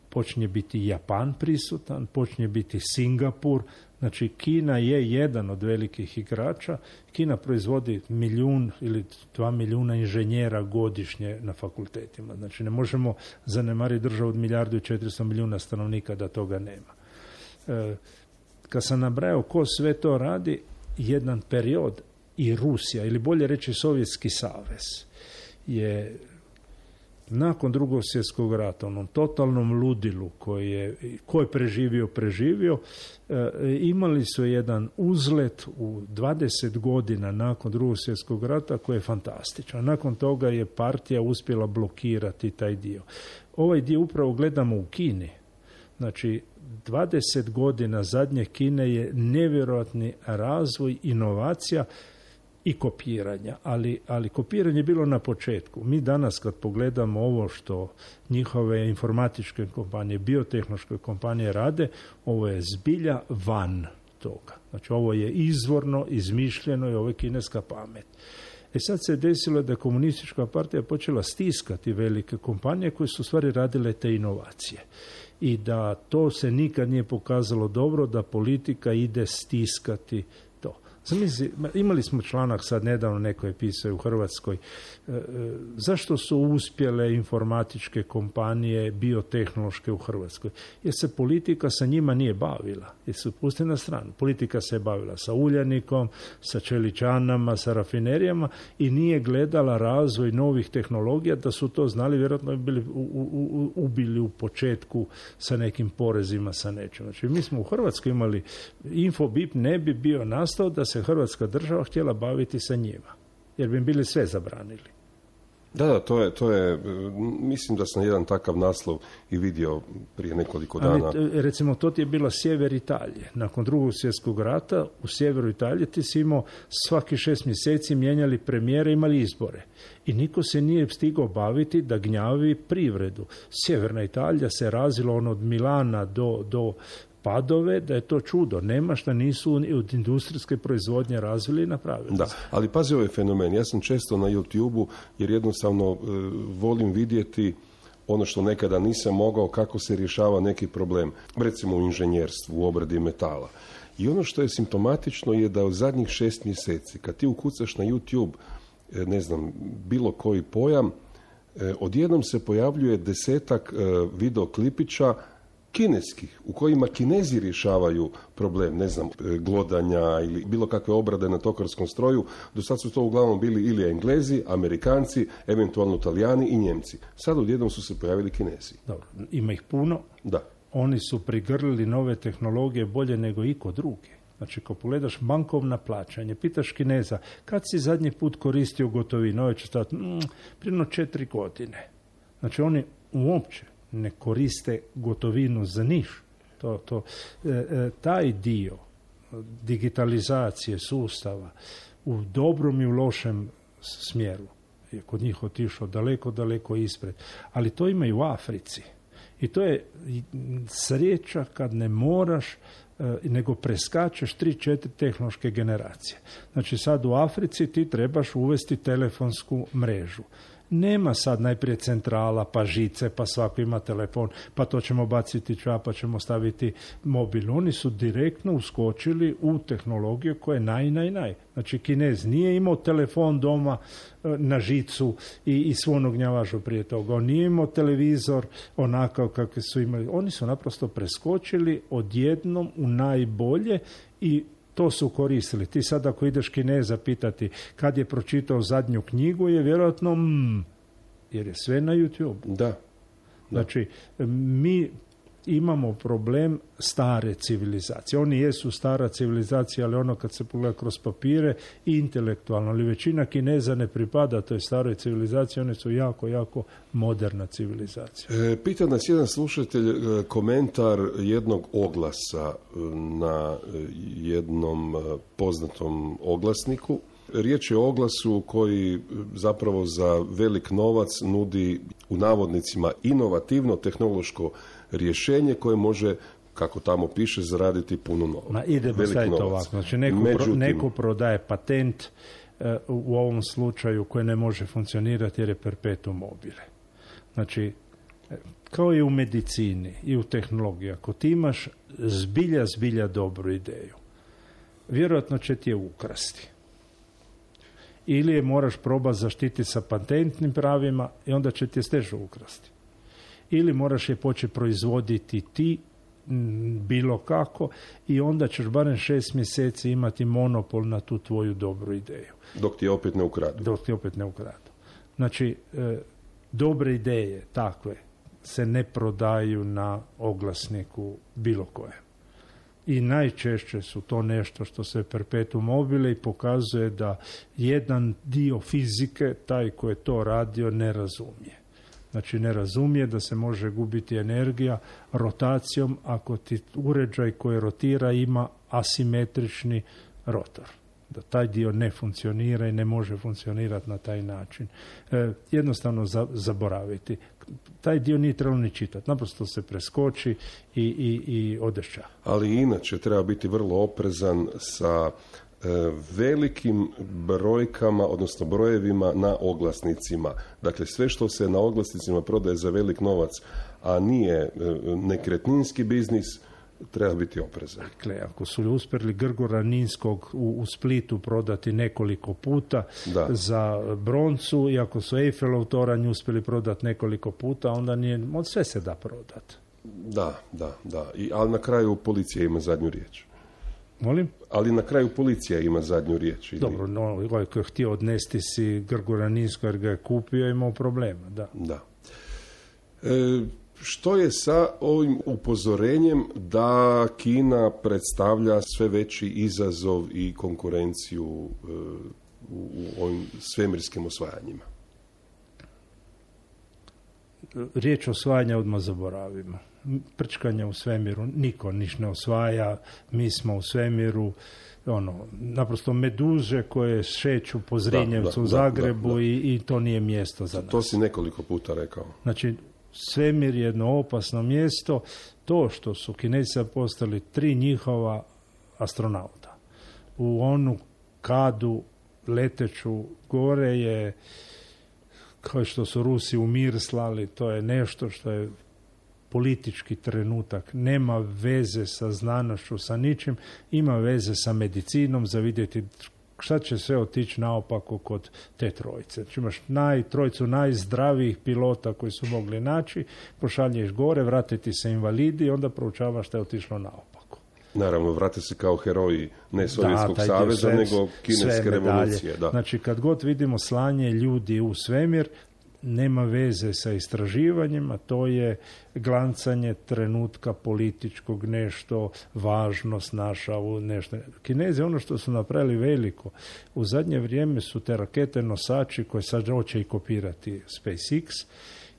[SPEAKER 2] počinje biti Japan prisutan, počinje biti Singapur. Znači, Kina je jedan od velikih igrača. Kina proizvodi milijun ili dva milijuna inženjera godišnje na fakultetima. Znači, ne možemo zanemariti državu od milijardu i četiristo milijuna stanovnika da toga nema. E, kad sam nabrajao ko sve to radi, jedan period i Rusija, ili bolje reći Sovjetski savez, je nakon drugog svjetskog rata, onom totalnom ludilu koji je, ko je preživio, preživio, e, imali su jedan uzlet u dvadeset godina nakon drugog svjetskog rata koji je fantastičan. Nakon toga je partija uspjela blokirati taj dio. Ovaj dio upravo gledamo u Kini. Znači, dvadeset godina zadnje Kine je nevjerojatni razvoj, inovacija, i kopiranja, ali, ali kopiranje je bilo na početku. Mi danas kad pogledamo ovo što njihove informatičke kompanije, biotehnološke kompanije rade, ovo je zbilja van toga. Znači ovo je izvorno, izmišljeno i ovo je kineska pamet. E sad se desilo da je komunistička partija počela stiskati velike kompanije koje su u stvari radile te inovacije. I da to se nikad nije pokazalo dobro, da politika ide stiskati to. Zamisli, imali smo članak sad nedavno, neko je pisao u Hrvatskoj, e, e, zašto su uspjele informatičke kompanije biotehnološke u Hrvatskoj? Jer se politika sa njima nije bavila, jer su pustili na stranu. Politika se je bavila sa Uljanikom, sa čeličanama, sa rafinerijama i nije gledala razvoj novih tehnologija, da su to znali, vjerojatno bi bili u, u, ubili u početku sa nekim porezima, sa nečim. Znači, mi smo u Hrvatskoj imali, Infobip ne bi bio nastao da se Hrvatska država htjela baviti sa njima, jer bi im bili sve zabranili.
[SPEAKER 1] Da, da, to je, to je, mislim da sam jedan takav naslov i vidio prije nekoliko dana.
[SPEAKER 2] Ali, recimo, to ti je bila sjever Italije. Nakon drugog svjetskog rata u sjeveru Italije ti si imao svaki šest mjeseci mijenjali premijere, imali izbore. I niko se nije stigao baviti da gnjavi privredu. Sjeverna Italija se razvila ono od Milana do, do Padove, da je to čudo. Nema šta nisu od industrijske proizvodnje razvili i napravili.
[SPEAKER 1] Da, ali pazi ovaj fenomen. Ja sam često na YouTube-u jer jednostavno e, volim vidjeti ono što nekada nisam mogao, kako se rješava neki problem. Recimo u inženjerstvu, u obradi metala. I ono što je simptomatično je da u zadnjih šest mjeseci, kad ti ukucaš na YouTube, e, ne znam, bilo koji pojam, e, odjednom se pojavljuje desetak e, videoklipića kineskih, u kojima Kinezi rješavaju problem, ne znam, glodanja ili bilo kakve obrade na tokarskom stroju. Do sad su to uglavnom bili ili Englezi, Amerikanci, eventualno Talijani i Njemci. Sad odjednom su se pojavili Kinezi.
[SPEAKER 2] Dobro, ima ih puno.
[SPEAKER 1] Da.
[SPEAKER 2] Oni su prigrlili nove tehnologije bolje nego iko drugi. Znači, ako pogledaš bankovna plaćanje, pitaš Kineza, kad si zadnji put koristio gotovinu? Ovo će stati, mm, prije četiri godine. Znači, oni uopće ne koriste gotovinu za niš. To, to, e, e, taj dio digitalizacije sustava u dobrom i u lošem smjeru je kod njih otišao daleko, daleko ispred. Ali to ima i u Africi. I to je sreća kad ne moraš, e, nego preskačeš tri, četiri tehnološke generacije. Znači sad u Africi ti trebaš uvesti telefonsku mrežu. Nema sad najprije centrala, pa žice, pa svako ima telefon, pa to ćemo baciti ča, pa ćemo staviti mobil. Oni su direktno uskočili u tehnologiju koja je naj, naj, naj. Znači, Kinez nije imao telefon doma na žicu i, i svu onu gnjavažu prije toga. On nije imao televizor onakav kakve su imali. Oni su naprosto preskočili odjednom u najbolje i to su koristili. Ti sad ako ideš Kineza pitati kad je pročitao zadnju knjigu, je vjerojatno mm, jer je sve na YouTube.
[SPEAKER 1] Da. Da.
[SPEAKER 2] Znači, mi imamo problem stare civilizacije. Oni jesu stara civilizacija, ali ono kad se pogleda kroz papire, intelektualno, ali većina Kineza ne pripada toj staroj civilizaciji, one su jako, jako moderna civilizacija.
[SPEAKER 1] E, pita nas jedan slušatelj e, komentar jednog oglasa e, na jednom e, poznatom oglasniku. Riječ je o oglasu koji zapravo za velik novac nudi u navodnicima inovativno tehnološko rješenje koje može, kako tamo piše, zaraditi puno novaca.
[SPEAKER 2] Ma idemo sad ovako. Znači neko, Međutim, pro, neko prodaje patent uh, u ovom slučaju koji ne može funkcionirati jer je perpetuum mobile. Znači, kao i u medicini i u tehnologiji, ako ti imaš zbilja, zbilja dobru ideju, vjerojatno će ti je ukrasti. Ili je moraš probati zaštiti sa patentnim pravima i onda će ti je steže ukrasti. Ili moraš je početi proizvoditi ti m, bilo kako i onda ćeš barem šest mjeseci imati monopol na tu tvoju dobru ideju.
[SPEAKER 1] Dok ti opet ne ukradu.
[SPEAKER 2] Dok ti opet ne ukradu. Znači, e, dobre ideje takve se ne prodaju na oglasniku bilo koje. I najčešće su to nešto što se perpetuum mobile i pokazuje da jedan dio fizike, taj ko je to radio, ne razumije. Znači ne razumije da se može gubiti energija rotacijom ako ti uređaj koji rotira ima asimetrični rotor. da taj dio ne funkcionira i ne može funkcionirati na taj način. E, jednostavno za, zaboraviti. Taj dio nije trebalo ni čitati. Naprosto se preskoči i, i, i odešća.
[SPEAKER 1] Ali inače treba biti vrlo oprezan sa e, velikim brojkama, odnosno brojevima na oglasnicima. Dakle, sve što se na oglasnicima prodaje za velik novac, a nije e, nekretninski biznis, treba biti oprezan.
[SPEAKER 2] Dakle, ako su uspjeli Grgora Ninskog u, u Splitu prodati nekoliko puta da. za broncu i ako su Eiffelov toranj uspjeli prodati nekoliko puta, onda nije, od sve se da prodati.
[SPEAKER 1] Da, da, da. I, ali na kraju policija ima zadnju riječ.
[SPEAKER 2] Molim?
[SPEAKER 1] Ali na kraju policija ima zadnju riječ. Ili...
[SPEAKER 2] Dobro, no, ovaj koji je htio odnesti si Grgora Ninskog jer ga je kupio, imao problema, da.
[SPEAKER 1] Da. E, Što je sa ovim upozorenjem da Kina predstavlja sve veći izazov i konkurenciju u, u ovim svemirskim osvajanjima?
[SPEAKER 2] Riječ osvajanja odmah zaboravimo. Prčkanje u svemiru, niko niš ne osvaja, mi smo u svemiru, ono, naprosto meduže koje šeću po Zrinjevcu da, da, u Zagrebu da, da, da. I, i to nije mjesto za nas.
[SPEAKER 1] To si nekoliko puta rekao.
[SPEAKER 2] Znači, svemir je jedno opasno mjesto. To što su Kinezi postali tri njihova astronauta u onu kadu leteću gore je, kao što su Rusi u mir slali, to je nešto što je politički trenutak, nema veze sa znanošću, sa ničim, ima veze sa medicinom, za vidjeti šta će sve otići naopako kod te trojice. Znači imaš naj, trojicu najzdravijih pilota koji su mogli naći, pošalješ gore, vratiti se invalidi i onda proučavaš šta je otišlo naopako.
[SPEAKER 1] Naravno, vrate se kao heroji ne Sovjetskog da, saveza, sve, nego kineske revolucije. Da.
[SPEAKER 2] Znači, kad god vidimo slanje ljudi u svemir, nema veze sa istraživanjima, to je glancanje trenutka političkog, nešto važnost naša u nešto. Kinezi, ono što su napravili veliko, u zadnje vrijeme su te rakete nosači koje sad hoće i kopirati SpaceX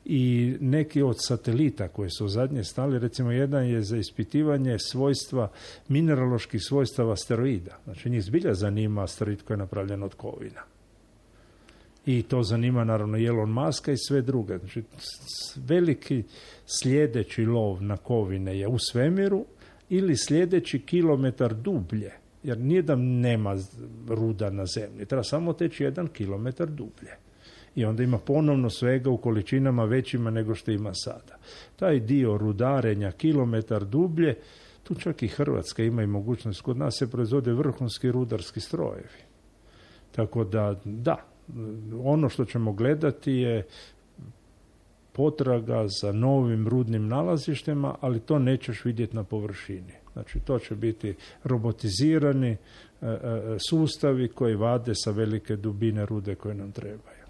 [SPEAKER 2] i neki od satelita koji su zadnje stali, recimo jedan je za ispitivanje svojstva, mineraloških svojstava asteroida. Znači njih zbilja zanima asteroid koji je napravljen od kovina. I to zanima naravno Elon Muska i sve druge. Znači, veliki sljedeći lov na kovine je u svemiru ili sljedeći kilometar dublje. Jer nije da nema ruda na zemlji. Treba samo teći jedan kilometar dublje. I onda ima ponovno svega u količinama većima nego što ima sada. Taj dio rudarenja kilometar dublje, tu čak i Hrvatska ima i mogućnost. Kod nas se proizvode vrhunski rudarski strojevi. Tako da, da, ono što ćemo gledati je potraga za novim rudnim nalazištima, ali to nećeš vidjeti na površini. Znači, to će biti robotizirani e, e, sustavi koji vade sa velike dubine rude koje nam trebaju.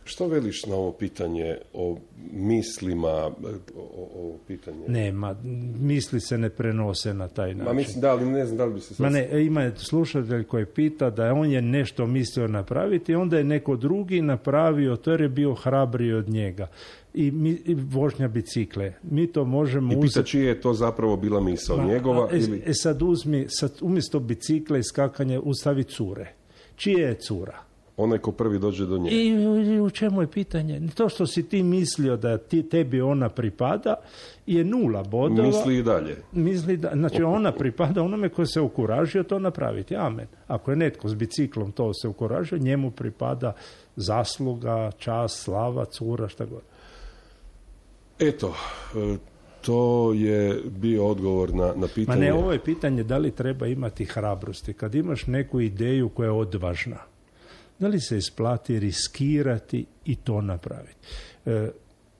[SPEAKER 1] Što veliš na ovo pitanje o mislima, o, o pitanje?
[SPEAKER 2] Nema, misli se ne prenose na taj način.
[SPEAKER 1] Ma mislim, da, ali ne znam da li bi se...
[SPEAKER 2] Ma ne, ima slušatelj koji pita da on je nešto mislio napraviti, onda je neko drugi napravio, to jer je bio hrabriji od njega. I, mi, i vožnja bicikle. Mi to možemo
[SPEAKER 1] uzeti... I pita čije je to zapravo bila misao, Ma, njegova
[SPEAKER 2] e,
[SPEAKER 1] ili...
[SPEAKER 2] E sad uzmi, sad umjesto bicikla i skakanja ustavi cure. Čije je cura?
[SPEAKER 1] Onaj ko prvi dođe do nje.
[SPEAKER 2] I, i u čemu je pitanje? To što si ti mislio da ti, tebi ona pripada je nula bodova.
[SPEAKER 1] Misli i dalje.
[SPEAKER 2] Misli da, znači ona pripada onome koji se ukuražio to napraviti. Amen. Ako je netko s biciklom to se ukuražio, njemu pripada zasluga, čast, slava, cura, šta god.
[SPEAKER 1] Eto, to je bio odgovor na, na pitanje.
[SPEAKER 2] Ma ne, ovo je pitanje da li treba imati hrabrosti. Kad imaš neku ideju koja je odvažna, da li se isplati riskirati i to napraviti? E,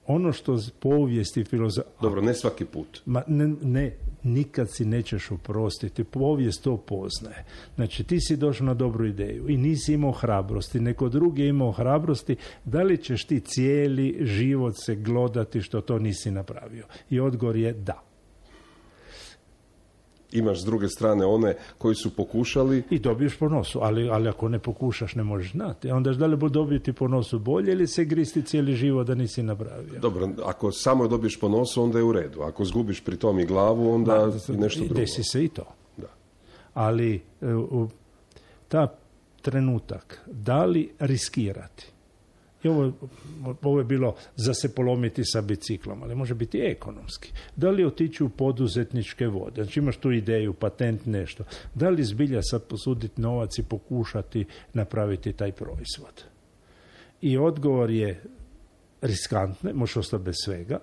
[SPEAKER 2] ono što povijest i filozofija...
[SPEAKER 1] Dobro, ne svaki put.
[SPEAKER 2] Ma, ne, ne, nikad si nećeš oprostiti. Povijest to poznaje. Znači, ti si došao na dobru ideju i nisi imao hrabrosti. Neko drugi je imao hrabrosti. Da li ćeš ti cijeli život se glodati što to nisi napravio? I odgovor je da.
[SPEAKER 1] Imaš s druge strane one koji su pokušali...
[SPEAKER 2] I dobiješ po nosu, ali, ali ako ne pokušaš ne možeš znati. Onda da li bo dobiti po nosu bolje ili se gristi cijeli život da nisi napravio?
[SPEAKER 1] Dobro, ako samo dobiješ po nosu, onda je u redu. Ako zgubiš pri tom i glavu, onda Ma, nešto drugo.
[SPEAKER 2] Desi se i to.
[SPEAKER 1] Da.
[SPEAKER 2] Ali ta trenutak, da li riskirati. I ovo, ovo je bilo za se polomiti sa biciklom, ali može biti ekonomski. Da li otići u poduzetničke vode? Znači imaš tu ideju, patent, nešto. Da li zbilja sad posuditi novac i pokušati napraviti taj proizvod? I odgovor je riskantne, možeš ostati bez svega,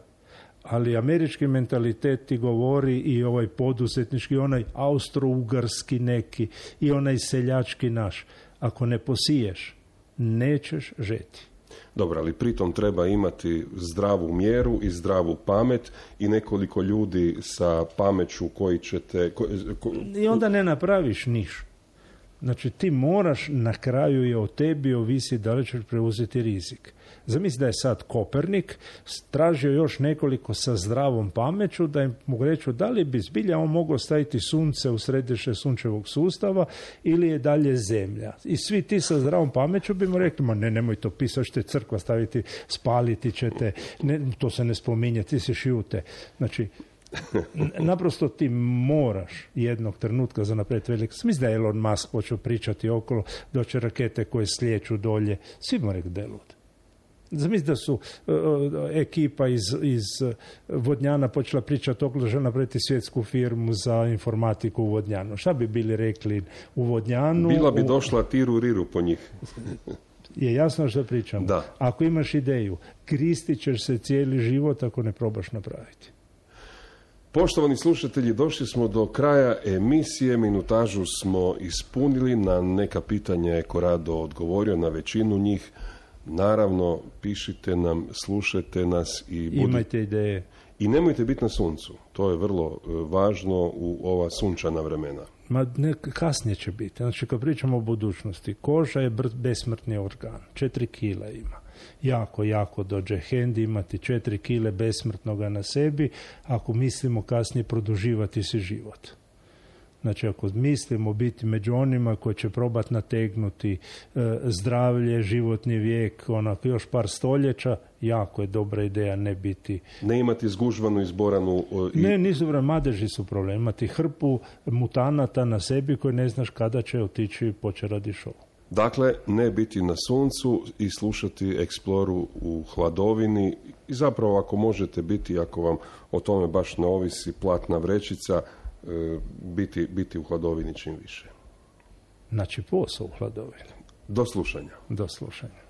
[SPEAKER 2] ali američki mentalitet ti govori i ovaj poduzetnički, onaj austro-ugarski neki i onaj seljački naš. Ako ne posiješ, nećeš žeti.
[SPEAKER 1] Dobro, ali pritom treba imati zdravu mjeru i zdravu pamet i nekoliko ljudi sa pameću koji će te... Ko, ko...
[SPEAKER 2] I onda ne napraviš niš. Znači ti moraš, na kraju je o tebi ovisi da li ćeš preuzeti rizik. Zamisli da je sad Kopernik tražio još nekoliko sa zdravom pameću da im mogu reći da li bi zbilja on mogao staviti sunce u središte sunčevog sustava ili je dalje zemlja. I svi ti sa zdravom pameću bi mu rekli, ma ne, nemoj to pisati, ćete crkva staviti, spaliti ćete, ne, to se ne spominje, ti se šijute. Znači, naprosto ti moraš jednog trenutka za naprijed velik. Mislim da je Elon Musk počeo pričati okolo, doće rakete koje slijeću dolje. Svi mu rekli da je lud. Zamisli da su uh, ekipa iz, iz Vodnjana počela pričati okolo, žele napraviti svjetsku firmu za informatiku u Vodnjanu. Šta bi bili rekli u Vodnjanu?
[SPEAKER 1] Bila bi
[SPEAKER 2] u...
[SPEAKER 1] došla tiru riru po njih.
[SPEAKER 2] Je jasno što pričam.
[SPEAKER 1] Da.
[SPEAKER 2] Ako imaš ideju, kristit ćeš se cijeli život ako ne probaš napraviti.
[SPEAKER 1] Poštovani slušatelji, došli smo do kraja emisije, minutažu smo ispunili, na neka pitanja je Corrado odgovorio, na većinu njih. Naravno, pišite nam, slušajte nas i budi...
[SPEAKER 2] imajte ideje.
[SPEAKER 1] I nemojte biti na suncu, to je vrlo važno u ova sunčana vremena.
[SPEAKER 2] Ma ne, kasnije će biti. Znači, kad pričamo o budućnosti, koža je besmrtni organ, četiri kila ima. Jako, jako dođe hendi imati četiri kile besmrtnoga na sebi, ako mislimo kasnije produživati si život. Znači, ako mislimo biti među onima koji će probati nategnuti e, zdravlje, životni vijek, onako još par stoljeća, jako je dobra ideja ne biti...
[SPEAKER 1] Ne imati zgužvanu, izboranu... I...
[SPEAKER 2] Ne, nisu vrlo, madeži su problem. Imati hrpu mutanata na sebi koji ne znaš kada će otići i poće radi šou.
[SPEAKER 1] Dakle, ne biti na suncu i slušati Exploru u hladovini i zapravo ako možete biti, ako vam o tome baš ne ovisi platna vrećica, biti, biti u hladovini čim više.
[SPEAKER 2] Znači posao u hladovini.
[SPEAKER 1] Do slušanja.
[SPEAKER 2] Do slušanja.